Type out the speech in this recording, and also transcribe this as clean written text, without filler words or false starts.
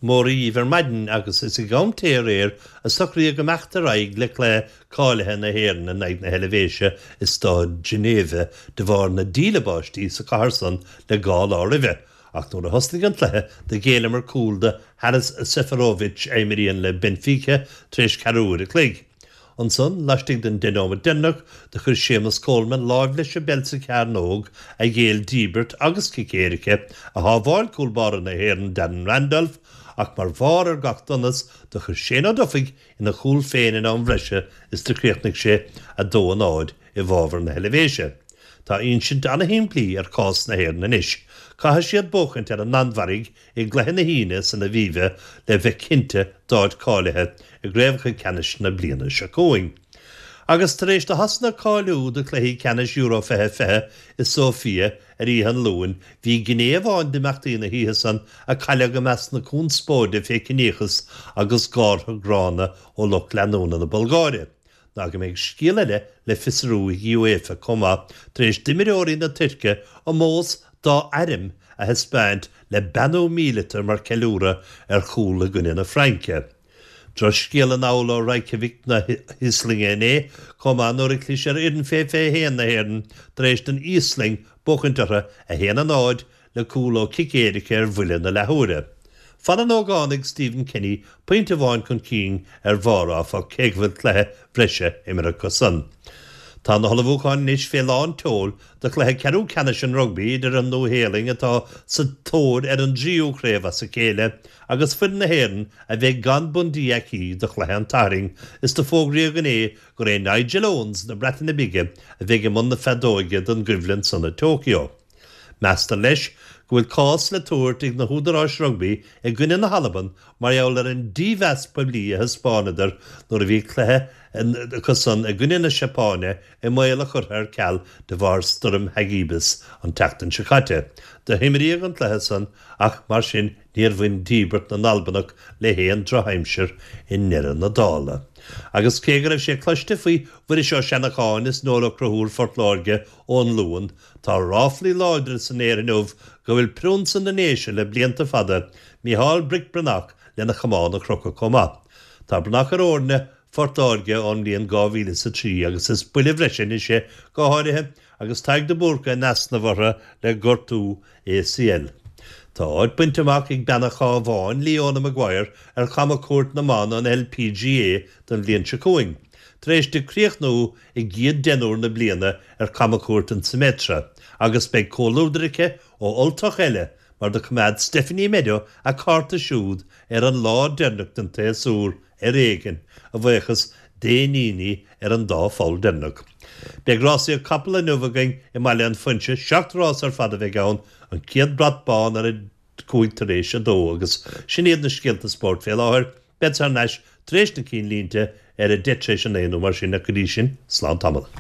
Mora dhíbh ar maidin agus is ag am tae aréir a socraíodh imeacht ar aghaidh le cluiche cáilithe na hÉireann in aghaidh na hEilvéise i Staid Geneva de bharr na díle báistí sa chathair san le gá lá roimhe. Ach nuair a thosnaigh an cluiche do ghéilleamar cúl do Haris Seferovic a imríonn le Benfica tar éis ceathrú uair a chloig. Ansan, laistigh den deich nóimeat deireanach, do chuir Séamus Coleman láimh leis an bpeil sa chearnóg, a ghéill díbirt agus cic éirice, a shábháil cúl báire na hÉireann Darren Randolph, ach mar bharr ar gach donas, do chuir Shane Ó Dufaigh ina chúl féin in am bhreise is do chríochnaigh sé 2-0 i bhfabhar na hEilvéise. Tá insint ana-shimplí ar chás na hÉireann anois. Caithfidh siad buachaint ar an Danmhairg i gcluiche na hAoine san Aviva le bheith cinnte d'áit cáilithe i gcraobhacha ceannais na bliana seo chugainn. Agus tar éis do Shasana cáiliú do chluichí ceannais Euro 2020 i Sóifia ar oíche an Luain, bhí gné amháin d'imeachtaí na hoíche san a cailleadh i measc na conspóide fé chiníochas agus gártha gránna ó lucht leanúna na Bulgáire. ná go mbeidh scéal eile le fiosrú ag UEFA chomh maith tar éis d'imreoirí na Tuirce ómós dá airm a thaispeáint le beannú míleata mar ceiliúradh ar chúl i gcoinne na Fraince. Drochscéal anall ó Reykjavik na hÍoslainne inné chomh maith nuair a chlis ar fhoireann fé 21 na hÉireann tar éis don Íoslainn buachaint orthu 1-0 le cúl ó chic éirice ar bhuille na leathuaire. Fanann ógánaigh Stephen Kenny pointe amháin chun cinn ar bharr, áfach, cé go bhfuil cluiche breise imeartha acusan. Tá na hullmhúcháin anois fé lán tseoil do chluiche ceathrú ceannais an rugbaí idir an Nua-Shéalainn atá sa tóir ar an dtríú craobh as a chéile agus foireann na hÉireann a bheidh gan Bundee Aki do chluiche an tSathairn is do fógraíodh inné gur é Nigel Owens na Breataine Bige a bheidh i mbun na feadóige don gcoimhlint san i Tokyo. Meastar leis go bhfuil cás le tabhairt ag na húdaráis rugbaí i gcoinne na hAlban mar gheall ar an dímheas poiblí a thaispeánadar nuair a bhí cluiche acusan i gcoinne na Seapáine i mbaol a churtha ar ceal de bharr stoirm Hagibis an tseachtain seo caite. Do himríodh an cluiche san ach mar sin níor bhain díbirt na nAlbanach le haon drochaimsir i ndeireadh na dála. Agus cé go raibh sé cloiste faoi Mhuiris Ó Seanacháin is Noel Ó Conchúir Phort Láirge ón Luan, Tá ráflaí láidre san aer inniu go bhfuil priúnsa na nDéise le blianta fada, Micheál Brick Breathnach, lena chamán a chrochadh chomh maith. Tá Breathnach ar fhoirne Phort Láirge ón mbliain 2003 agus is buille bhreise anois é, go háirithe agus Tadhg de Búrca in easnamh orthu le gortú ACL. Tá áit bainte amach ag bean an Chabháin, Leona Maguire, ar chamchuairt na mban an LPGA don bhliain seo chugainn, tar éis di críochnú i gcéad deichniúr na bliana ar chamchuairt an Symetra agus beidh comhluadar aici ó Ultach eile mar do choimeád Stephanie Meadow a cárta siúd ar an lá deireanach den tséasúr ar éigean, a bhuíochas d'éiníní ar an dá pholl deireanach. Beidh rásaíocht capall inniu againn i mBaile an Phuinse, 7 rás ar fad a bheidh ann, an chéad brat bán ar a 2 tar éis 2 agus sin iad na scéalta spóirt fé láthair. Bead thar n-ais tar éis na cinnlínte ar a 9:10 nó mar sin ach go dtí sin, slán tamall.